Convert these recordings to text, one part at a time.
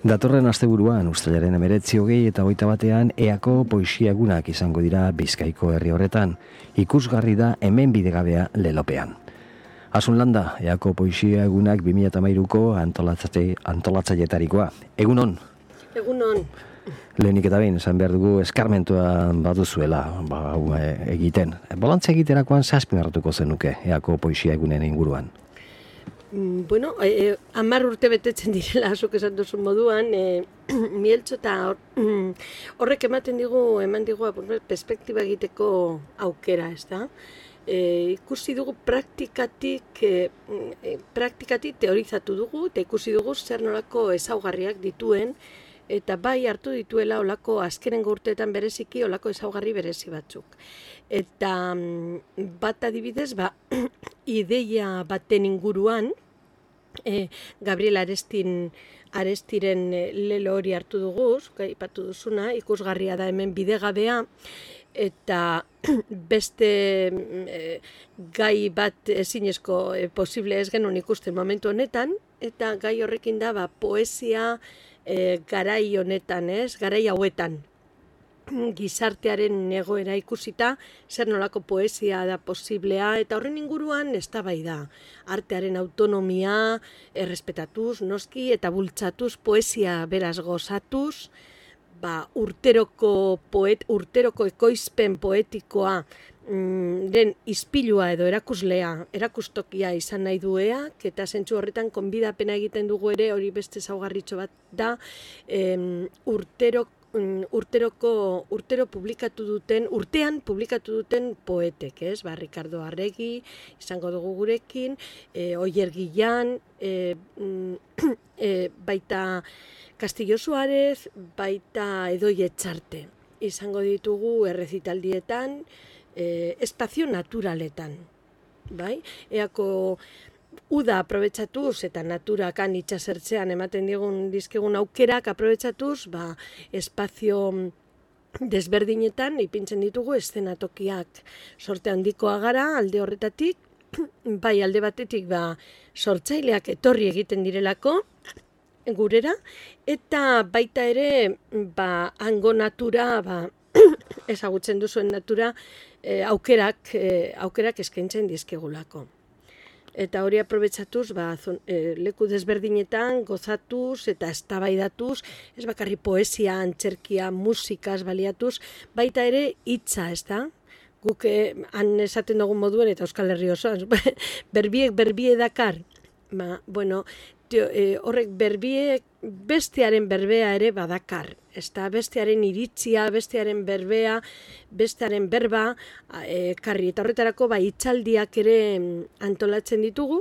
Datorren asteburuan, uztailaren 19, 20 eta 21 eako poesia egunak izango dira Bizkaiko herri horretan. Ikusgarri da hemen bidegabea lelopean. Asun landa, eako poesia egunak 2013ko antolatzailetarikoa. Egunon? Egunon. Lehenik eta behin, esan behar dugu eskarmentua baduzuela egiten. Bolantza egiterakoan zazpimarratuko zenuke eako poesia egunen inguruan. Bueno, 10 urte betetzen direla, zuk esan duzun moduan, mieltxo eta horrek eman digu perspektiba egiteko aukera, ez da? Ikusi dugu praktikatik teorizatu dugu, eta ikusi dugu zer nolako ezaugarriak dituen, eta bai hartu dituela olako azkenengo urteetan bereziki olako ezaugarri berezi batzuk. Eta bat adibidez, ideia baten inguruan, Gabriel Arestiren lelo hori hartu dugu, aipatu duzuna, ikusgarria da hemen bidegabea, eta beste gai bat ezinezko posible ez genuen ikusten momentu honetan, eta gai horrekin da poesia garai honetan, garai hauetan. Gizartearen egoera ikusita, zer nolako poesia da posiblea, eta horren inguruan eztabaida. Artearen autonomia errespetatuz, noski, eta bultzatuz, poesia beraz gozatuz, urteroko ekoizpen poetikoa den ispilua edo erakustokia izan nahi dueak, eta zentzu horretan konbidapena egiten dugu ere, hori beste ezaugarritxo bat da, urtean publikatu duten poetek, Ricardo Arregi, izango dugu gurekin, Oier Guillan, baita Castillo Suárez, baita Edoi Etxarte. Izango ditugu errezitaldietan, espazio naturaletan, bai? Eako uda aprobetxatuz eta naturakan itxasertzean ematen dizkigun aukerak aprobetxatuz, espazio desberdinetan ipintzen ditugu eszenatokiak. Sorte handikoa gara alde horretatik, bai alde batetik sortzaileak etorri egiten direlako gurera, eta baita ere hango natura, ezagutzen duzuen natura, aukerak eskaintzen dizkigulako. Eta hori aprobetxatuz, leku desberdinetan, gozatuz eta eztabaidatuz, ez bakarri poesia, antzerkia, musikaz baliatuz, baita ere hitza, ez da? Guk han esaten dugun moduen eta Euskal Herri osoan, berbiek berbie dakar. Horrek berbiek bestearen berbea ere badakar. Ezta bestearen iritzia, bestearen berbea, bestearen berba, karri eta horretarako hitzaldiak ere antolatzen ditugu.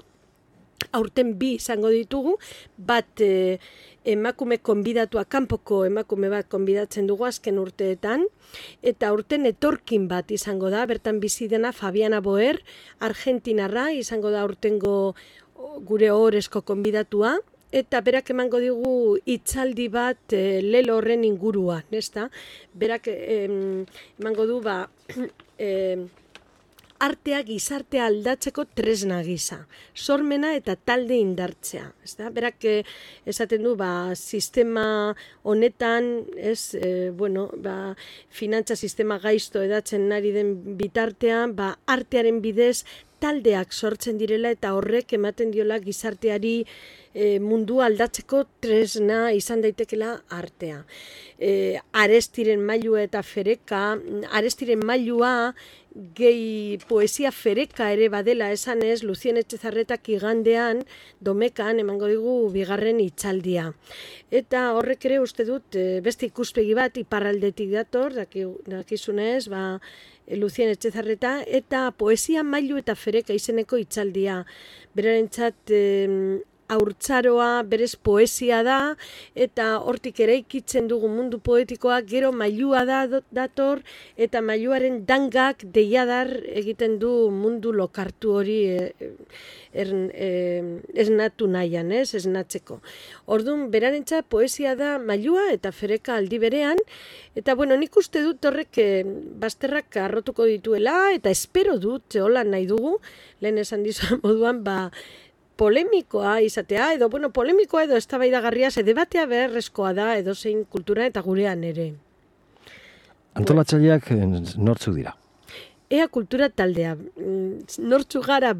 Aurten 2 izango ditugu, bat emakume konbidatua, kanpoko emakume bat konbidatzen dugu azken urteetan, eta aurten etorkin bat izango da, bertan bizi dena Fabiana Boer, Argentinarra, izango da aurtengo gure ohorezko konbidatua, eta berak emango digu hitzaldi bat lelo horren inguruan, ezta? Berak emango du artea gizartea aldatzeko tresna gisa, sormena eta talde indartzea, ezta? Berak esaten du sistema honetan, finantza sistema gaizto edatzen ari den bitartean, artearen bidez taldeak sortzen direla eta horrek ematen diola gizarteari mundua aldatzeko tresna izan daitekela artea. Arestiren mailua eta fereka, Arestiren mailua gehi poesia fereka ere badela esanez, Lucien Etxezarretak igandean Domekan emango digu 2. hitzaldia. Eta horrek ere uste dut beste ikuspegi bat iparraldetik dator, dakizunez, Lucien Etxezarreta, eta poesia mailu eta fereka izeneko hitzaldia. Berarentzat haurtzaroa berez poesia da, eta hortik eraikitzen dugu mundu poetikoa, gero mailua dator, eta mailuaren dangak deiadar egiten du mundu lokartu hori esnatu nahian, esnatzeko. Orduan, berarentzat poesia da mailua eta fereka aldi berean, eta nik uste dut horrek bazterrak arrotuko dituela, eta espero dut, hola nahi dugu, lehen esan dizuen moduan, polemikoa izatea, edo, polemikoa edo eztabaidagarria, ze debatea beharrezkoa da edozein kultura eta gurean ere. Antolatzaileak nortzuk dira? Ea kultura taldea, nortzu gara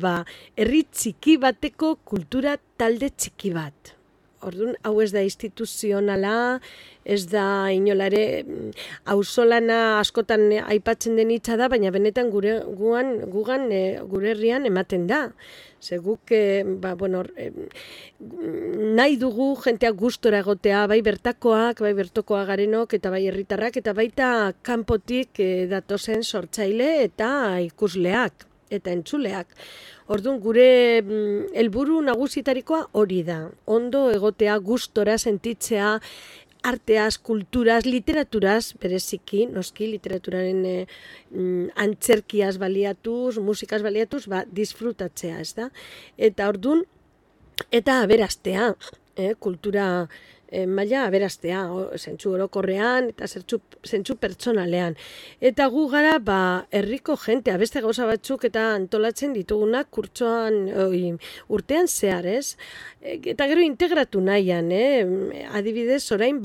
herri txiki bateko kultura talde txiki bat. Orduan, hau ez da instituzionala, ez da inolare, auzolana askotan aipatzen den hitza da, baina benetan gure herrian ematen da. Ze guk, nahi dugu jentea gustora egotea, bai bertakoak, bai bertokoa garenok, eta bai herritarrak, eta baita kanpotik datozen sortzaile eta ikusleak, eta entzuleak. Orduan, gure helburu nagusitarikoa hori da. Ondo egotea, gustora sentitzea, arteaz, kulturaz, literaturaz, bereziki, noski, literaturaren antzerkiaz baliatuz, musikaz baliatuz, disfrutatzea, ez da? Eta orduan, eta aberastea, kultura maila aberastea, zentzu orokorrean eta zentzu pertsonalean. Eta gu gara, herriko jentea, beste gauza batzuk eta antolatzen ditugunak kurtsoan, urtean zehar, ez? Eta gero integratu nahian, adibidez, orain,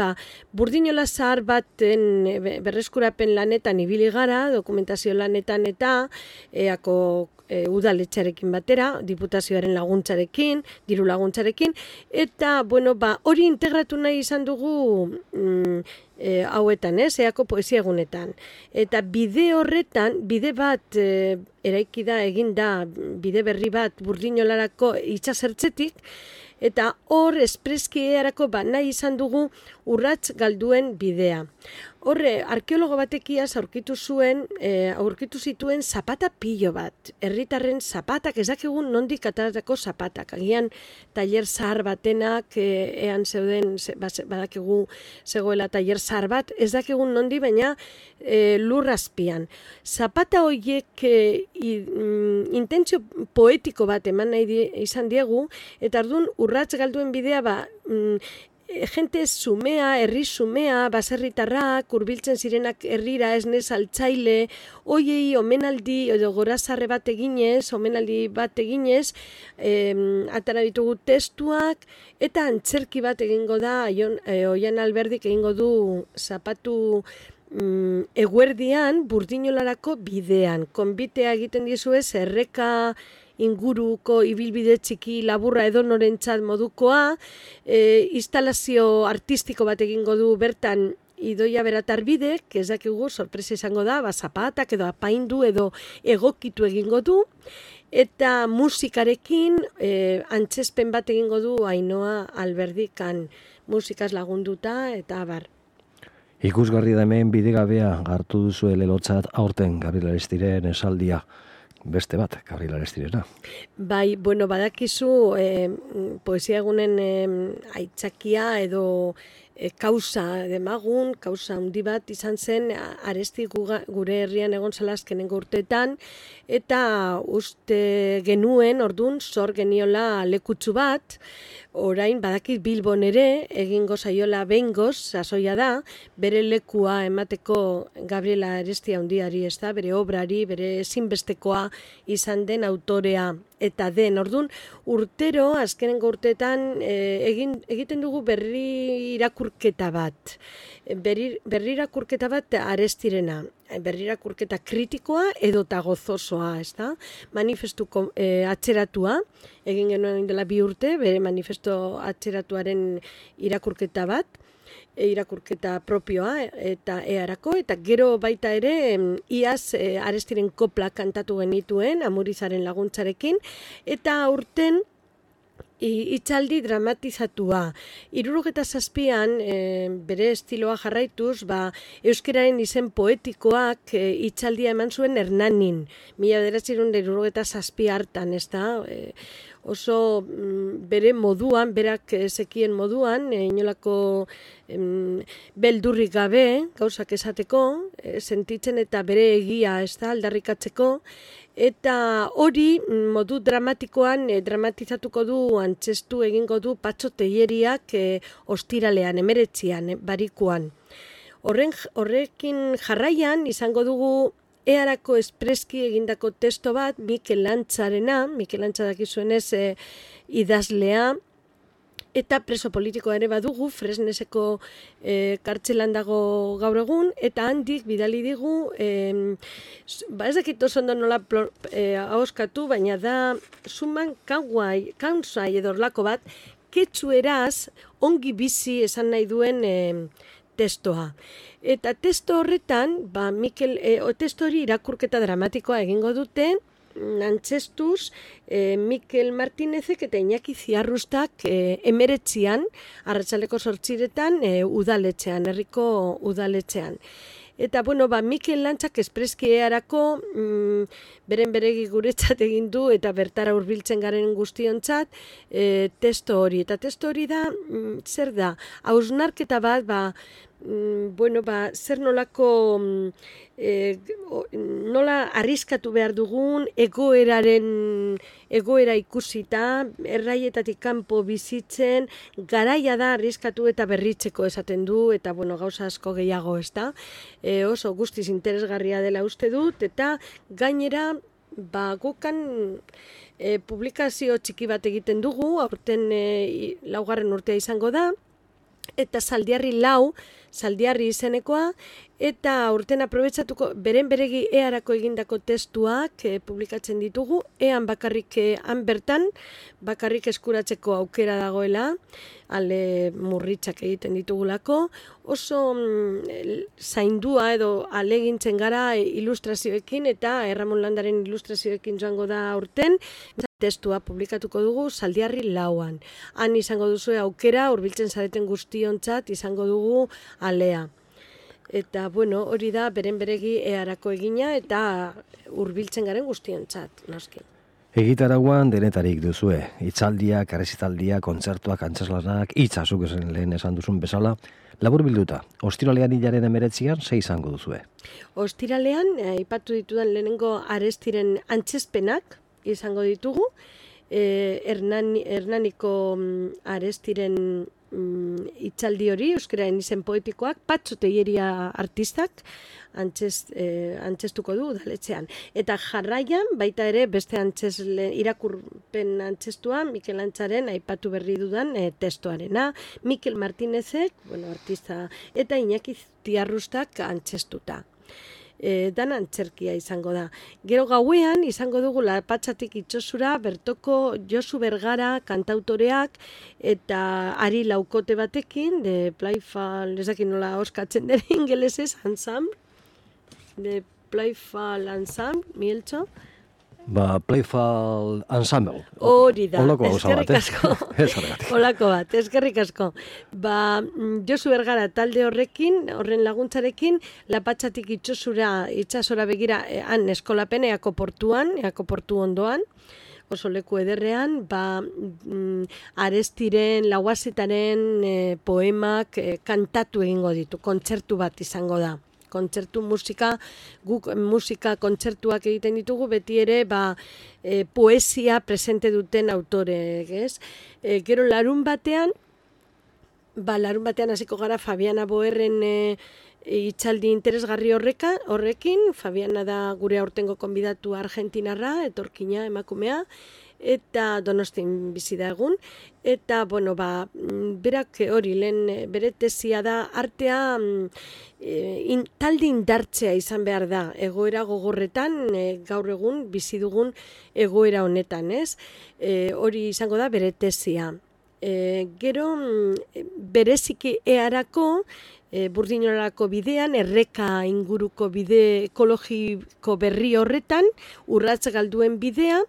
burdinola zahar baten berreskurapen lanetan ibili gara, dokumentazio lanetan eta eako udaletxarekin batera, diputazioaren laguntzarekin, diru laguntzarekin, eta, hori integratu nahi izan dugu hauetan, eako poesia egunetan. Eta bide horretan, bide bat eraiki da, egin da, bide berri bat burdinolarako itxasertzetik, eta hor espreski erako nahi izan dugu urrats galduen bidea. Horre, arkeologo batekiaz aurkitu zituen zapata pilo bat. Herritarren zapatak, ez dakigun nondik ateratako zapatak. Agian tailer zahar batenak, ean zeuden, badakigu zegoela tailer zahar bat, ez dakigun nondi, baina lur azpian. Zapata horiek intentzio poetiko bat eman nahi izan diegu, eta orduan urrats galduen bidea jente zumea, herri zumea, baserritarrak, hurbiltzen zirenak herrira esne saltzaile, hoiei omenaldi edo gorazarre bat eginez, atara ditugu testuak, eta antzerki bat egingo da, Oian Alberdik egingo du zapatu eguerdian burdinolarako bidean. Konbitea egiten dizuez, erreka inguruko ibilbide txiki laburra edo norentzat modukoa, instalazio artistiko bat egingo du bertan Idoia Beratarbidek, ez dakigu sorpresa izango da, zapatak edo apaindu edo egokitu egingo du, eta musikarekin antzespen bat egingo du Ainhoa Alberdikan musikaz lagunduta eta abar. Ikusgarri da hemen bidegabea hartu duzu lelotzat aurten Gabriel Aristiren esaldia. Beste bat, Gabriel Aristirena. Bai, badakizu poesia egunen aitzakia edo kausa demagun, kausa handi bat izan zen Aresti gure herrian egon zela azkenengo urteetan, eta uste genuen, ordun zor geniola lekutsu bat, orain badakit Bilbon ere egingo zaiola behingoz, sasoia da, bere lekua emateko Gabriela Aresti handiari, ez da, bere obrari, bere ezinbestekoa izan den autorea eta den. Orduan, urtero, azkenengo urteetan, egiten dugu berri irakurketa bat. Berri irakurketa bat Arestirena. Berri irakurketa kritikoa edota gozosoa, ez da? Manifestuko atzeratua, egin genuen dela 2 urte, bere manifesto atzeratuaren irakurketa bat, irakurketa propioa eta earako, eta gero baita ere iaz Arestiren kopla kantatu genituen Amurizaren laguntzarekin, eta aurten hitzaldi dramatizatua. 77an bere estiloa jarraituz, euskararen izen poetikoak hitzaldia eman zuen Hernanin. 1977 hartan, ez da? Oso bere moduan, berak zekien moduan, inolako beldurrik gabe, gauzak esateko, sentitzen eta bere egia, ez da, aldarrikatzeko, eta hori modu dramatikoan dramatizatuko du, antzestu egingo du Patxo Telleriak ostiralean, 19, barikuan. Horrekin jarraian izango dugu earako espreski egindako testo bat, Mikel Lantzarena, Mikel Lantza dakizuenez idazlea, eta preso politikoa ere badugu, Fresneseko kartzelan dago gaur egun, eta handik bidali digu, ez dakit oso ondo nola ahoskatu, baina da suman kaunzai edo orlako bat, ketxueraz ongi bizi esan nahi duen testoa. Eta testo horretan, testo hori irakurketa dramatikoa egingo dute, antzestuz, Mikel Martinezek eta Iñaki Ziarrustak 19 arratsaldeko 8 udaletxean, herriko udaletxean. Eta, Mikel Lantzak espreski earako beren beregi guretzat egin du eta bertara hurbiltzen garen guztiontzat testo hori. Eta testo hori da, zer da? Hausnarketa bat, zer nolako nola arriskatu behar dugun egoera ikusita, erraietatik kanpo bizitzen, garaia da arriskatu eta berritzeko esaten du, eta gauza asko gehiago, ez da? Oso guztiz interesgarria dela uste dut, eta gainera gukan publikazio txiki bat egiten dugu, aurten 4. urtea izango da, eta Zaldiarri izenekoa, eta urten aprobetsatuko beren beregi earako egindako testuak publikatzen ditugu, ean bertan bakarrik eskuratzeko aukera dagoela, ale murritzak egiten ditugulako, oso zaindua edo alegintzen gara ilustrazioekin, eta Erramon Landaren ilustrazioekin joango da urten, testua publikatuko dugu Zaldiarri 4. Han izango duzu aukera, hurbiltzen zareten guztiontzat izango dugu alea. Eta, hori da beren beregi earako egina eta hurbiltzen garen guztiontzat, noski. Egitarauan denetarik duzue, hitzaldiak, errezitaldiak, kontzertuak, antzeslanak, hitzazuk lehen esan duzun bezala, labur bilduta, ostiralean hilaren 19 ze izango duzue? Ostiralean, aipatu ditudan lehenengo Arestiren antzezpenak izango ditugu, Hernaniko Arestiren hitzaldi hori, euskaraen izen poetikoak, Patxo Telleria artistak antzestuko du udaletxean. Eta jarraian, baita ere, beste irakurpen antzestua, Mikel Lantzaren aipatu berri dudan testoarena, Mikel Martinezek, artista, eta Iñaki Ziarrustak antzestuta. Dan antzerkia izango da. Gero gauean izango dugu Lapatxatik Itsosura bertoko Josu Bergara kantautoreak eta Ari Laukote batekin, de Playful, ez dakit nola oskatzen den ingelesez, ensemble, de Playful Ensemble, Mieltxo. Playful Ensemble. Hori da, eskerrik asko. Olako bat, eskerrik asko. Josu Bergara talde horren laguntzarekin, Lapatxatik itsasora begira, han eskolapen, Eako portu ondoan, oso leku ederrean, Arestiren, Lauazitaren poemak kantatu egingo ditu, kontzertu bat izango da. Kontzertu guk musika kontzertuak egiten ditugu, beti ere poesia presente duten autoreek, ez? Gero larun batean hasiko gara Fabiana Boerren hitzaldi interesgarri horrekin, Fabiana da gure aurtengo konbidatu argentinarra, etorkina emakumea, eta Donostin bizi da egun, eta, berak hori, bere tesia da, artea talde indartzea izan behar da, egoera gogorretan, gaur egun, bizi dugun egoera honetan, ez? Hori izango da bere tesia. Gero, bereziki earako, Burdinolako bidean, erreka inguruko bide ekologiko berri horretan, urratz galduen bidea,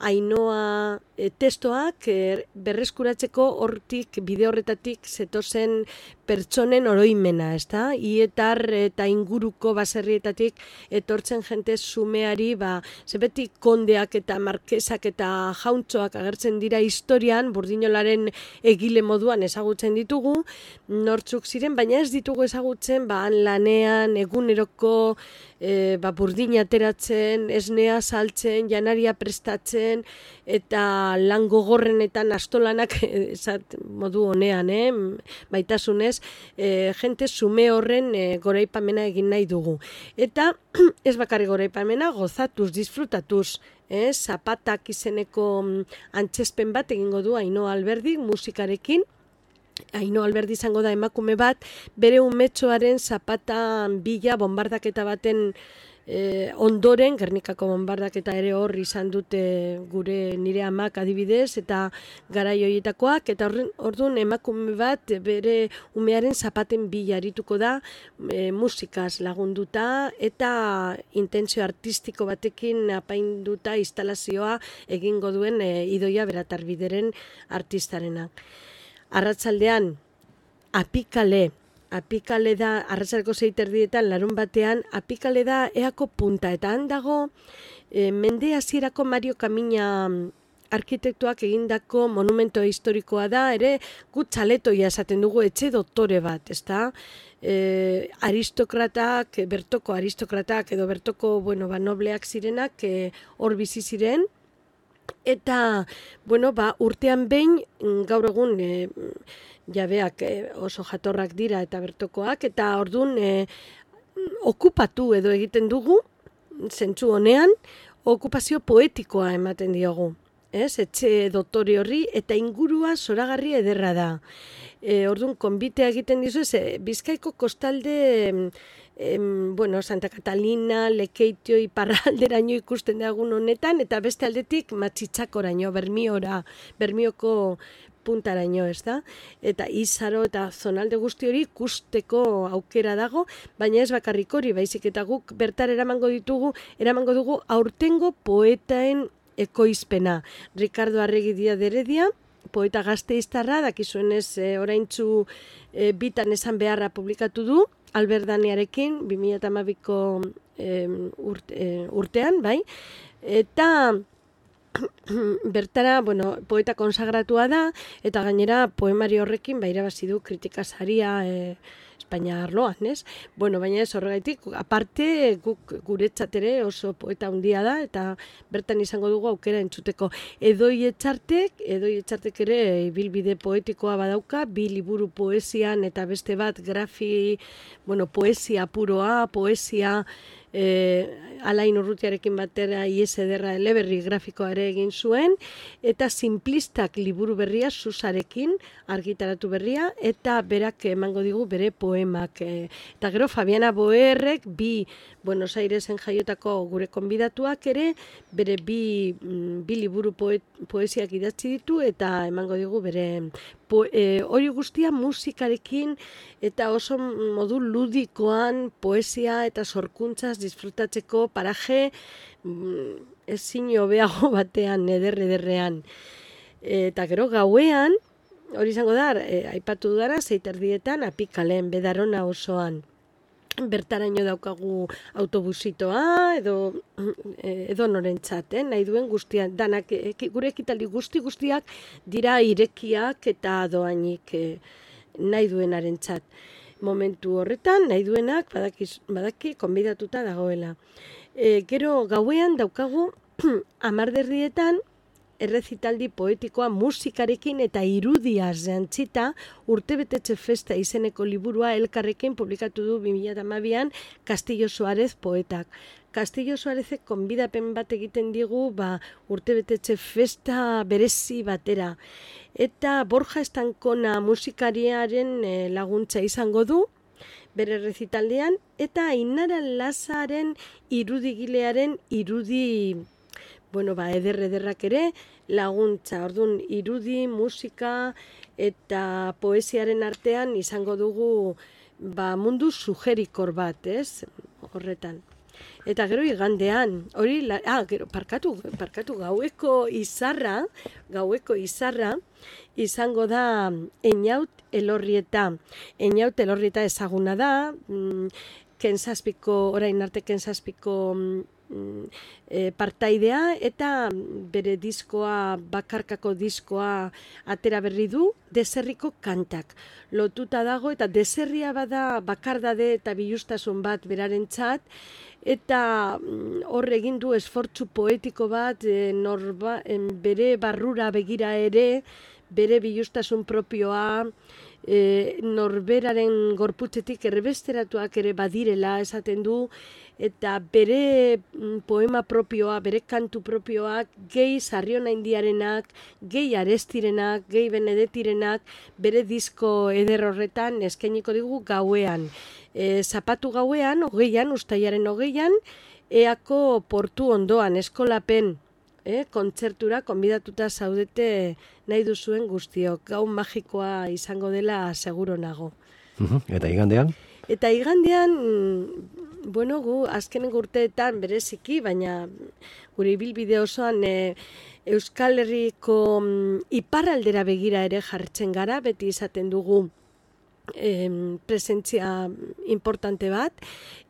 Ainoa testoak berreskuratzeko bide horretatik zetozen pertsonen oroimena, ezta? Ietar eta inguruko baserrietatik etortzen jente zumeari, zebeti kondeak eta markesak eta jauntxoak agertzen dira historian, Burdinolaren egile moduan ezagutzen ditugu, nortzuk ziren, baina ez ditugu ezagutzen, han lanean, eguneroko, burdina ateratzen, esnea saltzen, janaria prestatzen, eta lan gogorrenetan astolanak, modu honean, baitasunez, jente zume horren goraipamena egin nahi dugu. Eta ez bakarri goraipamena, gozatuz, disfrutatuz, zapatak izeneko antzespen bat egingo du Ainhoa Alberdi musikarekin. Ainhoa Alberdi izango da emakume bat, bere umetxoaren zapatan bila bombardaketa baten ondoren, Gernikako bombardaketa ere hor izan dute nire amak adibidez, eta garai horietakoak, eta orduan emakume bat bere umearen zapaten bila arituko da, musikaz lagunduta, eta intentzio artistiko batekin apainduta instalazioa egingo duen Idoia Beratarbideren artistarena. Arratsaldean, Apikale da, arratsaldeko 6:30 larun batean, Apikale da Eako punta, eta han dago mende hasierako Mario Kamina arkitektuak egindako monumento historikoa da, ere gut txaletoia esaten dugu, etxe doktore bat, ezta? Aristokratak, bertoko aristokratak edo bertoko, nobleak zirenak hor bizi ziren, eta, urtean behin, gaur egun, jabeak oso jatorrak dira eta bertokoak, eta orduan okupatu edo egiten dugu, zentzu honean, okupazio poetikoa ematen diogu. Etxe doktore horri, eta ingurua zoragarri ederra da. Orduan, konbitea egiten dizu, Bizkaiko kostalde, Santa Catalina, Lekeitio, Iparralderaino ikusten dagun honetan, eta beste aldetik Matxitxakoraino, Bermioko puntaraino, ez da? Eta Izaro eta zonalde guzti hori ikusteko aukera dago, baina ez bakarrik hori, baizik eta guk bertar eramango dugu aurtengo poetaen ekoizpena. Ricardo Arregi Díaz de Heredia, poeta gazteiztarra, dakizuenez oraintzu bitan esan beharra publikatu du, Alberdanearekin, 2012ko urtean, bai? Eta bertara, poeta konsagratua da, eta gainera poemari horrekin irabazi du kritika saria Espainia arloan, ez? Baina ez horregaitik, aparte guretzat ere oso poeta handia da, eta bertan izango dugu aukera entzuteko. Edoi Etxartek ere ibilbide poetikoa badauka, 2 liburu poesian eta beste bat poesia puroa, poesia Alain Urrutiarekin batera ies ederra eleberri grafikoa ere egin zuen, eta Simplistak liburu berria Susarekin argitaratu berria, eta berak emango digu bere poemak. Eta gero Fabiana Boerrek, 2 Buenos Airesen jaiotako gure konbidatuak ere, bere 2 liburu poesiak idatzi ditu, eta emango digu bere hori guztia musikarekin eta oso modu ludikoan poesia eta sorkuntzaz disfrutatzeko paraje ezin hobeago batean, ederrean. Eta gero gauean, hori izango da, aipatu dudara, 6:30 Apikalen, Bedarona osoan. Bertaraino daukagu autobusitoa edo norentzat, nahi duen guztiak, danak, gure ekitaldi guztiak dira irekiak eta doainik nahi duenarentzat. Momentu horretan, nahi duenak badaki konbidatuta dagoela. Gero gauean daukagu 10:00 errezitaldi poetikoa musikarekin eta irudiaz jantzita Urtebetetxe festa izeneko liburua elkarrekin publikatu du 2012an Castillo Suárez poetak. Castillo Suárezek konbidapen bat egiten digu Urtebetetxe festa berezi batera. Eta Borja Estankona musikariaren laguntza izango du bere errezitaldean, eta Ainara Lazaren irudigilearen irudi ederrak ere laguntza. Orduan, irudi, musika eta poesiaren artean izango dugu mundu sugerikor bat, ez? Horretan. Eta gero igandean, gaueko izarra izango da Eñaut Elorrieta. Eñaut Elorrieta ezaguna da, orain arte Kentzazpiko partaidea, eta bere diskoa, bakarkako diskoa atera berri du, Deserriko kantak. Lotuta dago, eta Deserria bada bakardade eta bilustasun bat berarentzat, eta hor egin du esfortzu poetiko bat, bere barrura begira ere, bere bilustasun propioa, norberaren gorputzetik erbesteratuak ere badirela esaten du, eta bere poema propioa, bere kantu propioak, gehi Sarriona Indiarenak, gehi Arestirenak, gehi Benedetirenak, bere disko eder horretan eskainiko digu gauean. Zapatu gauean, ustailaren 20, Eako portu ondoan, eskolapen, kontzertura konbidatuta zaudete nahi duzuen guztiok. Gau magikoa izango dela seguro nago. Eta igandean? Eta igandean, gu azkenen urteetan bereziki, baina gure ibilbide osoan Euskal Herriko iparraldera begira ere jartzen gara, beti izaten dugu presentzia importante bat,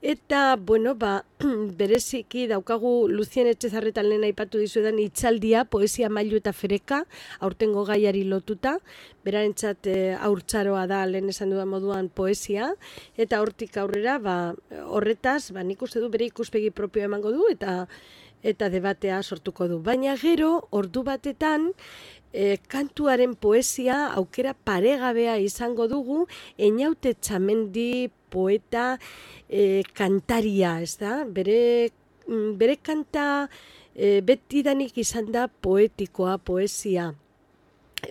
eta bereziki daukagu Lucien Etxezarretan lehen aipatu dizuedan itzaldia, poesia mailu eta fereka, aurtengo gaiari lotuta, berarentzat haurtzaroa da lehen esan dudan moduan poesia, eta hortik aurrera horretaz, nik uste du bere ikuspegi propioa emango du, eta debatea sortuko du. Baina gero, ordu batetan, kantuaren poesia aukera paregabea izango dugu, Einaute Txamendi poeta kantaria, ez da? Bere kanta betidanik izan da poetikoa, poesia.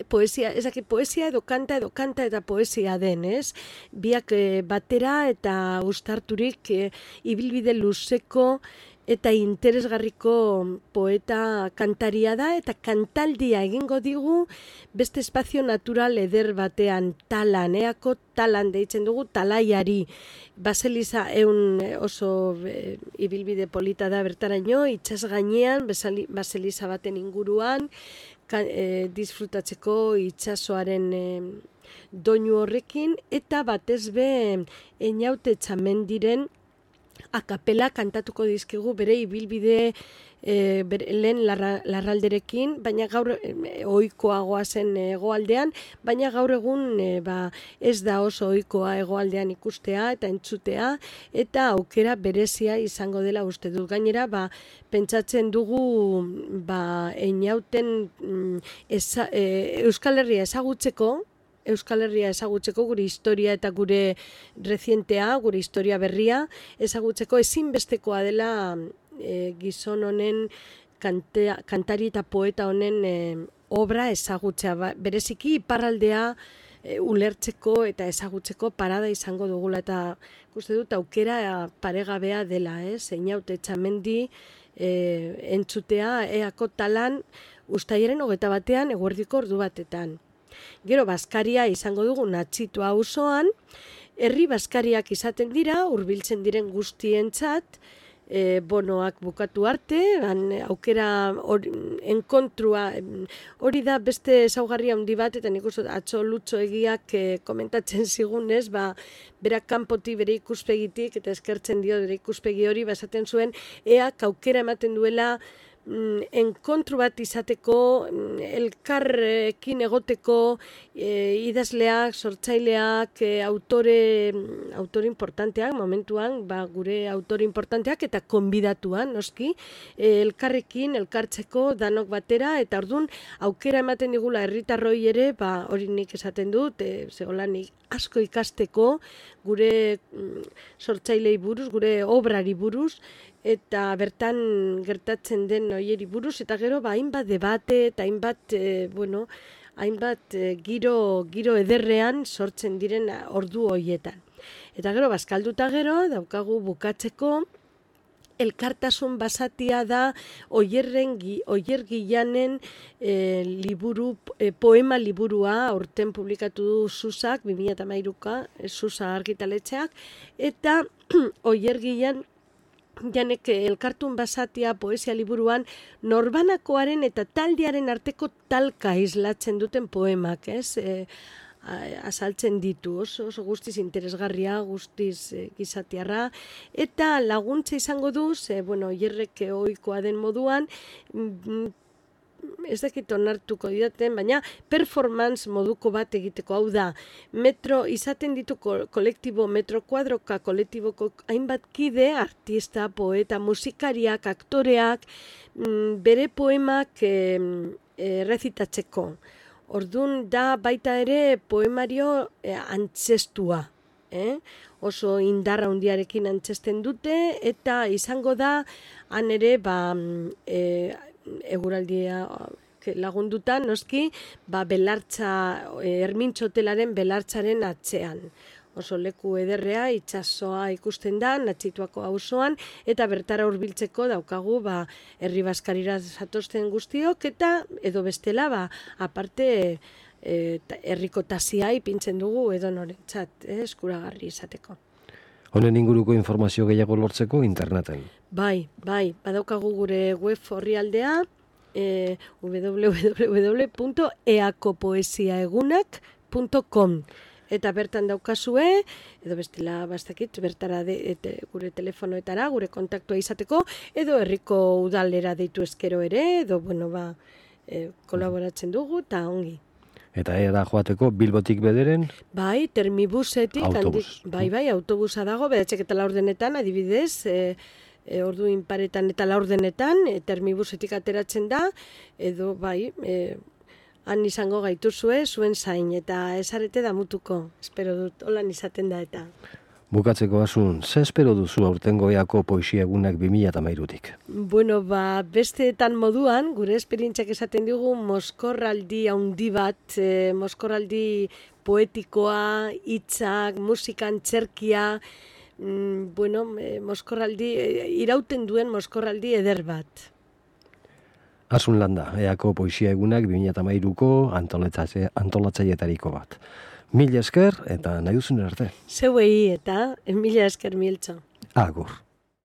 Poesia edo kanta eta poesia den, ez? Biak batera eta uztarturik ibilbide luzeko eta interesgarriko poeta kantaria da, eta kantaldia egingo digu beste espazio natural eder batean, Talan, Eako Talan deitzen dugu, Talaiari. Baseliza oso ibilbide polita da bertaraino, itsas gainean, baseliza baten inguruan, disfrutatzeko itsasoaren doinu horrekin, eta batez be Einaute Txamendiren akapela kantatuko dizkigu bere ibilbide lehen larralderekin, baina gaur ohikoagoa zen hegoaldean, baina gaur egun ez da oso ohikoa hegoaldean ikustea eta entzutea, eta aukera berezia izango dela uste dut. Gainera, pentsatzen dugu Einauten Euskal Herria ezagutzeko, gure historia eta gure rezientea, gure historia berria ezagutzeko ezinbestekoa dela gizon honen, kantari eta poeta honen obra ezagutzea. Bereziki iparraldea ulertzeko eta ezagutzeko parada izango dugula, eta uste dut aukera paregabea dela, Einaute Txamendi entzutea Eako Talan ustailaren 21 eguerdiko ordu batetan. Gero Baskaria izango dugu Natxitua auzoan, herri baskariak izaten dira, hurbiltzen diren guztientzat, bonoak bukatu arte, aukera enkontrua, hori da beste ezaugarri handi bat, eta nik uste atzo Lutxo Egiak komentatzen zigunez, berak kanpotik bere ikuspegitik, eta eskertzen dio bere ikuspegi hori, esaten zuen, eak aukera ematen duela enkontru bat izateko, elkarrekin egoteko, idazleak, sortzaileak, autore importanteak, momentuan, gure autore importanteak, eta konbidatuan, noski, elkarrekin, elkartzeko, danok batera, eta orduan, aukera ematen digula herritarroi ere, hori nik esaten dut, nik asko ikasteko, gure sortzailei buruz, gure obrari buruz, eta bertan gertatzen den hoieri buruz, eta gero hainbat debate eta hainbat giro ederrean sortzen diren ordu hoietan. Eta gero bazkalduta gero daukagu bukatzeko elkartasun basatia da Oier Gilanen poema liburua aurten publikatu du Susak, 2013, Susa argitaletxeak, eta Oier Gilanek elkartun basatia poesia liburuan norbanakoaren eta taldearen arteko talka islatzen duten poemak, azaltzen ditu, oso guztiz interesgarria, guztiz gizatiarra, eta laguntza izango du, hierrek ohikoa den moduan, ez dakit onartuko didaten, baina performance moduko bat egiteko, hau da, izaten ditu kolektibo metro kuadroka, kolektiboko hainbat kide, artista, poeta, musikariak, aktoreak, bere poemak rezitatzeko. Orduan da baita ere poemario antzestua. Oso indarra handiarekin antzesten dute, eta izango da, han ere, eguraldia lagunduta, noski, belartza, Ermintxotelaren belartzaren atzean. Oso leku ederrea, itsasoa ikusten da, Natxituako auzoan, eta bertara hurbiltzeko daukagu, herri baskarira zatozten guztiok, eta edo bestela, aparte, herriko tasia ipintzen dugu edo norentzat, eskuragarri izateko. Honen inguruko informazio gehiago lortzeko interneten. Bai, badaukagu gure web orrialdea, www.eakopoesiaegunak.com, eta bertan daukazue, edo bestela bastakit, bertara gure telefonoetara, gure kontaktua izateko, edo herriko udalera deitu eskero ere, edo kolaboratzen dugu, eta ongi. Eta era joateko Bilbotik bederen? Bai, termibusetik. Autobus. Bai, autobusa dago, bedatzek eta laurdenetan, adibidez, ordu inparetan eta laurdenetan, termibusetik ateratzen da, edo han izango gaituzue, zuen zain, eta ezarete damutuko, espero dut, holan izaten da eta. Bukatzeko Asun, ze espero duzu aurtengo Eako Poesia Egunak 2013-tik? Besteetan moduan, gure esperientziak esaten digu, mozkorraldi handi bat, mozkorraldi poetikoa, hitzak, musikan, txerkia, mozkorraldi, irauten duen mozkorraldi eder bat. Asun Landa, Eako Poesia Egunak 2013ko antolatzailetariko bat. Mila esker eta nahi duzun arte. Zeuei eta mila esker Miltxo. Agur.